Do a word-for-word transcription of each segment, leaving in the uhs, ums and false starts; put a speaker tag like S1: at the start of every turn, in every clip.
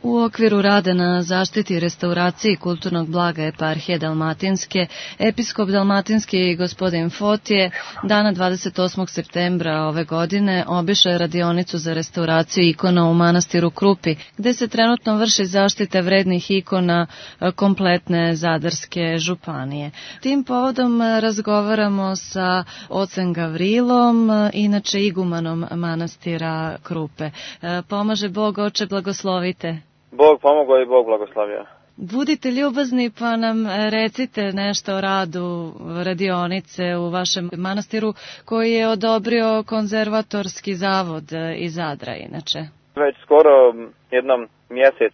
S1: U okviru rada na zaštiti i restauraciji kulturnog blaga eparhije Dalmatinske, episkop Dalmatinski gospodin Fotije dana dvadeset osmog septembra ove godine obišao je radionicu za restauraciju ikona u manastiru Krupi, gde se trenutno vrši zaštita vrednih ikona kompletne Zadarske županije. Tim povodom razgovaramo sa ocem Gavrilom, inače igumanom manastira Krupe. Pomaže Bog, oče, blagoslovite.
S2: Bog pomogao i Bog blagoslavio.
S1: Budite ljubazni pa nam recite nešto o radu radionice u vašem manastiru koji je odobrio konzervatorski zavod iz Zadra inače.
S2: Već skoro jednom mjesec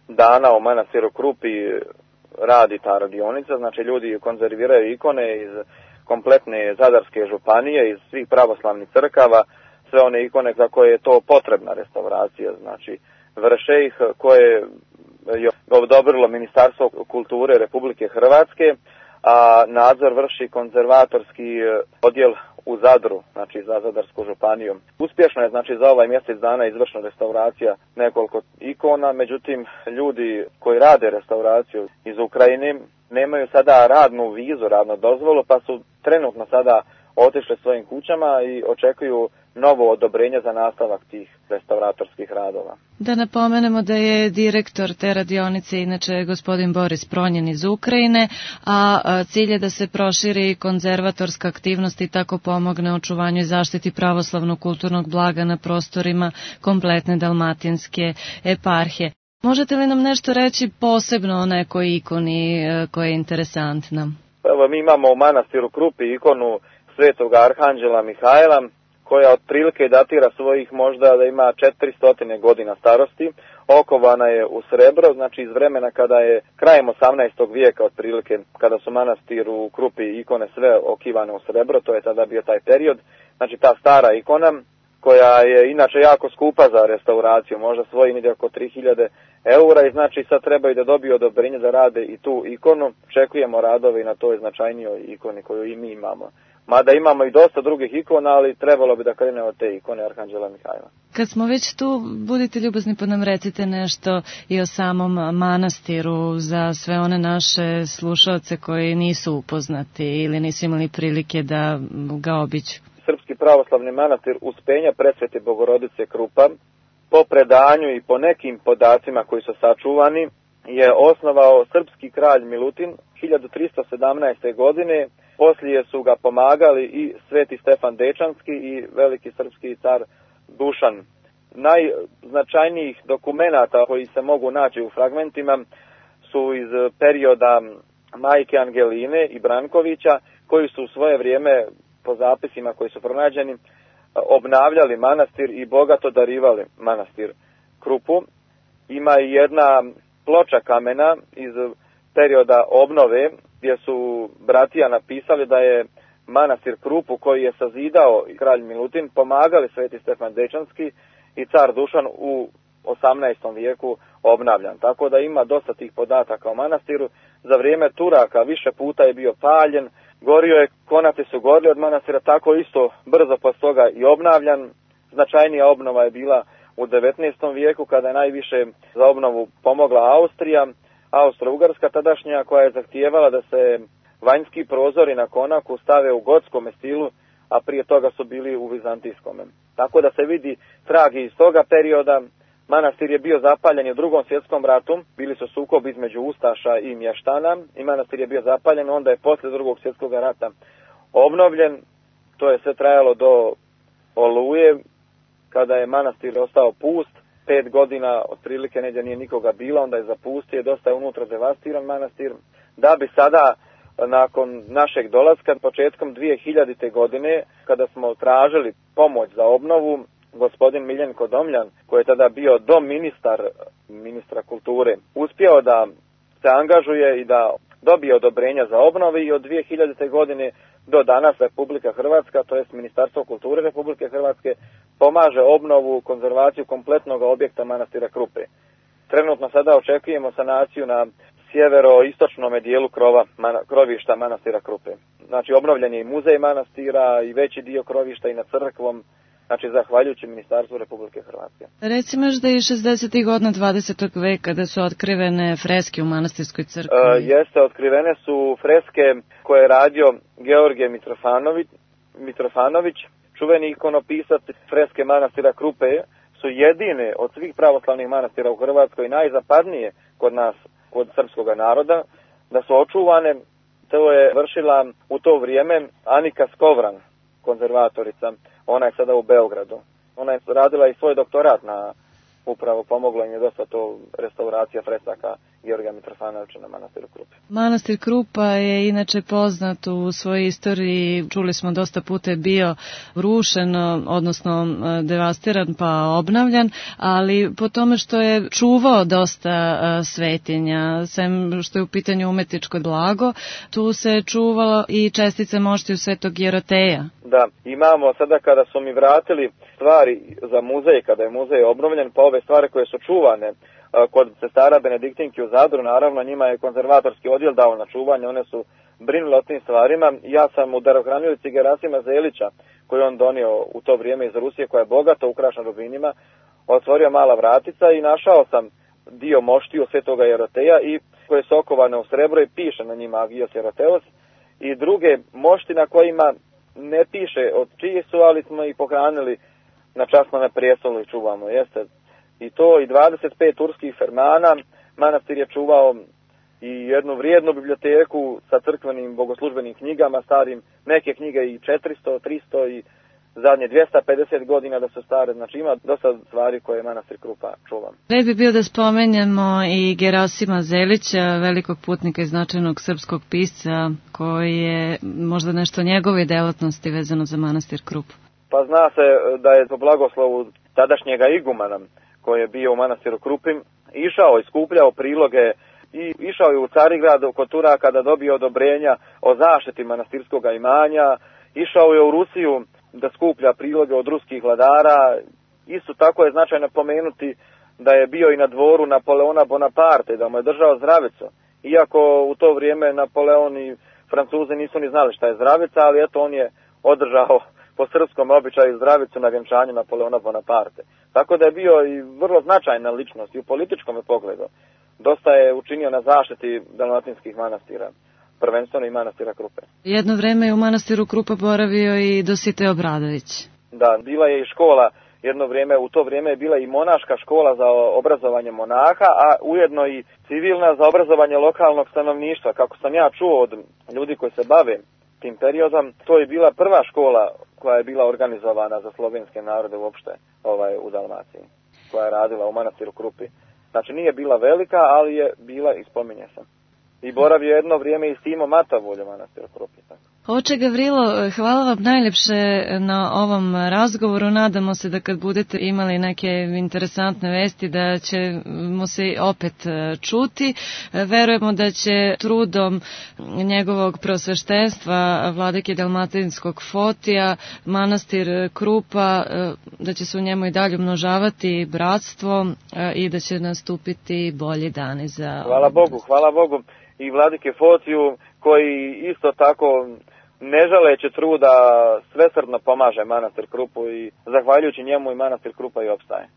S2: dana u manastiru Krupi radi ta radionica, znači ljudi konzerviraju ikone iz kompletne Zadarske županije, iz svih pravoslavnih crkava, sve one ikone za koje je to potrebna restauracija, znači vrše ih, koje je odobrilo Ministarstvo kulture Republike Hrvatske, a nadzor vrši konzervatorski odjel u Zadru, znači za Zadarsku županiju. Uspješno je, znači, za ovaj mjesec dana izvršena restauracija nekoliko ikona, međutim, ljudi koji rade restauraciju iz Ukrajine nemaju sada radnu vizu, radnu dozvolu, pa su trenutno sada otišli svojim kućama i očekuju novo odobrenje za nastavak tih restauratorskih radova.
S1: Da napomenemo da je direktor te radionice inače gospodin Boris Pronjen iz Ukrajine, a cilj je da se proširi konzervatorska aktivnost i tako pomogne očuvanju i zaštiti pravoslavnog kulturnog blaga na prostorima kompletne Dalmatinske eparhije. Možete li nam nešto reći posebno o nekoj ikoni koja je interesantna?
S2: Evo, mi imamo u manastiru Krupi ikonu Svetog Arhanđela Mihajla, koja otprilike datira svojih možda da ima četiristo godina starosti. Okovana je u srebro, znači iz vremena kada je krajem osamnaestog vijeka otprilike, kada su manastir u Krupi ikone sve okivane u srebro, to je tada bio taj period. Znači ta stara ikona, koja je inače jako skupa za restauraciju, možda svoji negdje oko tri hiljade eura, i znači sad trebaju da dobiju odobrenje da rade i tu ikonu. Čekujemo radove i na toj značajnijoj ikoni koju i mi imamo. Mada imamo i dosta drugih ikona, ali trebalo bi da krene od te ikone Arhanđela Mihajla.
S1: Kad smo već tu, budite ljubazni pa nam recite nešto i o samom manastiru za sve one naše slušalce koji nisu upoznati ili nisu imali prilike da ga obiđu.
S2: Srpski pravoslavni manastir Uspenja Presvete Bogorodice Krupa, po predanju i po nekim podacima koji su sačuvani, je osnovao srpski kralj Milutin hiljadu tristo sedamnaeste. godine. Poslije su ga pomagali i Sveti Stefan Dečanski i veliki srpski car Dušan. Najznačajnijih dokumenata koji se mogu naći u fragmentima su iz perioda majke Angeline i Brankovića, koji su u svoje vrijeme, po zapisima koji su pronađeni, obnavljali manastir i bogato darivali manastir Krupu. Ima i jedna ploča kamena iz perioda obnove, gdje su bratija napisali da je manastir Krupu, koji je sazidao kralj Milutin, pomagali Sveti Stefan Dečanski i car Dušan u osamnaestom vijeku obnavljan. Tako da ima dosta tih podataka o manastiru. Za vrijeme Turaka više puta je bio paljen, gorio je, konaci su gorili od manastira, tako isto brzo posle toga i obnavljan. Značajnija obnova je bila u devetnaestom vijeku, kada je najviše za obnovu pomogla Austrija, Austro-Ugarska tadašnja, koja je zahtijevala da se vanjski prozori na konaku stave u gotskom stilu, a prije toga su bili u vizantijskom. Tako da se vidi tragi iz toga perioda. Manastir je bio zapaljen u drugom svjetskom ratu, bili su sukobi između ustaša i mještana i manastir je bio zapaljen, onda je poslije drugog svjetskog rata obnovljen. To je sve trajalo do Oluje, kada je manastir ostao pust. Pet godina otprilike negdje nije nikoga bilo, onda je zapustio, dosta je unutra devastiran manastir, da bi sada, nakon našeg dolaska, početkom dvije hiljadite. godine, kada smo tražili pomoć za obnovu, gospodin Miljenko Domljan, koji je tada bio doministar ministra kulture, uspio da se angažuje i da dobije odobrenja za obnovu, i od dvije hiljadite. godine do danas Republika Hrvatska, to jest Ministarstvo kulture Republike Hrvatske, pomaže obnovu, konzervaciju kompletnog objekta manastira Krupe. Trenutno sada očekujemo sanaciju na sjevero-istočnom dijelu krova, mana, krovišta manastira Krupe. Znači obnovljen je i muzej manastira i veći dio krovišta i nad crkvom, znači zahvaljujući Ministarstvu Republike Hrvatske.
S1: Recimo još da je šezdesetih godina dvadesetog veka da su otkrivene freske u manastirskoj crkvi.
S2: E, jeste, otkrivene su freske koje je radio Georgije Mitrofanović, Mitrofanović, čuveni ikonopisac. Freske manastira Krupe su jedine od svih pravoslavnih manastira u Hrvatskoj, najzapadnije kod nas, kod srpskog naroda, da su očuvane. To je vršila u to vrijeme Anika Skovran, konzervatorica. Ona je sada u Beogradu. Ona je radila i svoj doktorat na, upravo pomogla im je dosta to restauracija fresaka Georgija Mitrofanovića na manastiru Krupe.
S1: Manastir Krupa je inače poznat u svojoj istoriji, čuli smo dosta puta je bio rušen, odnosno devastiran pa obnavljan, ali po tome što je čuvao dosta svetinja, sem što je u pitanju umetničko blago, tu se čuvalo i čestice moštiju Svetog Jeroteja.
S2: Da, imamo sada kada su mi vratili stvari za muzej, kada je muzej obnovljen, pa ove stvari koje su čuvane kod sestara Benediktinki u Zadru, naravno njima je konzervatorski odjel dao na čuvanje, one su brinule o tim stvarima. Ja sam u darohranilici Gerasima Zelića, koju on donio u to vrijeme iz Rusije, koja je bogato ukrašena rubinima, otvorio mala vratica i našao sam dio moštiju Svetoga Jeroteja i koje su okovane u srebro i piše na njima Agios Jeroteos, i druge mošti na kojima ne piše od čiji su, ali smo ih pohranili na časnome prijestolu i čuvamo. Jeste. I to i dvadeset pet turskih fermana. Manastir je čuvao i jednu vrijednu biblioteku sa crkvenim bogoslužbenim knjigama, starim, neke knjige i četiristo, tristo i zadnje dvjesto pedeset godina da su stare. Znači ima dosta stvari koje manastir Krupa čuva.
S1: Red bi bio da spomenjemo i Gerasima Zelića, velikog putnika i značajnog srpskog pisca, koji je možda nešto njegove delatnosti vezano za manastir Krupu.
S2: Pa zna se da je po blagoslovu tadašnjega igumana, koji je bio u manastiru Krupi, išao i skupljao priloge i išao je u Carigrad kod Turaka da dobije odobrenja o zaštiti manastirskog imanja, išao je u Rusiju da skuplja priloge od ruskih vladara. Isto tako je značajno pomenuti da je bio i na dvoru Napoleona Bonaparte, da mu je držao zdravicu. Iako u to vrijeme Napoleon i Francuzi nisu ni znali šta je zdravica, ali eto on je održao po srpskom običaju zdravicu na vjenčanju Napoleona Bonaparte. Tako da je bio i vrlo značajna ličnost i u političkom pogledu. Dosta je učinio na zaštiti dalmatinskih manastira, prvenstveno i manastira Krupe.
S1: Jedno vreme je u manastiru Krupa boravio i Dositej Obradović.
S2: Da, bila je i škola, jedno vrijeme, u to vrijeme je bila i monaška škola za obrazovanje monaha, a ujedno i civilna za obrazovanje lokalnog stanovništva. Kako sam ja čuo od ljudi koji se bave tim periodom, to je bila prva škola koja je bila organizovana za slovenske narode uopšte ovaj, u Dalmaciji, koja je radila u manastiru Krupi. Znači nije bila velika, ali je bila i spominje se. I boravio jedno vrijeme i Simo Matavulj u manastiru Krupi.
S1: Oče Gavrilo, hvala vam najljepše na ovom razgovoru. Nadamo se da kad budete imali neke interesantne vesti da ćemo se opet čuti. Verujemo da će trudom njegovog prosveštenstva vladike Dalmatinskog Fotija manastir Krupa, da će se u njemu i dalje umnožavati bratstvo i da će nastupiti bolji dani za...
S2: Hvala Bogu, hvala Bogu i vladike Fotiju koji isto tako ne žaleći truda svesrdno pomaže manastir Krupu i zahvaljujući njemu i manastir Krupa i opstaje.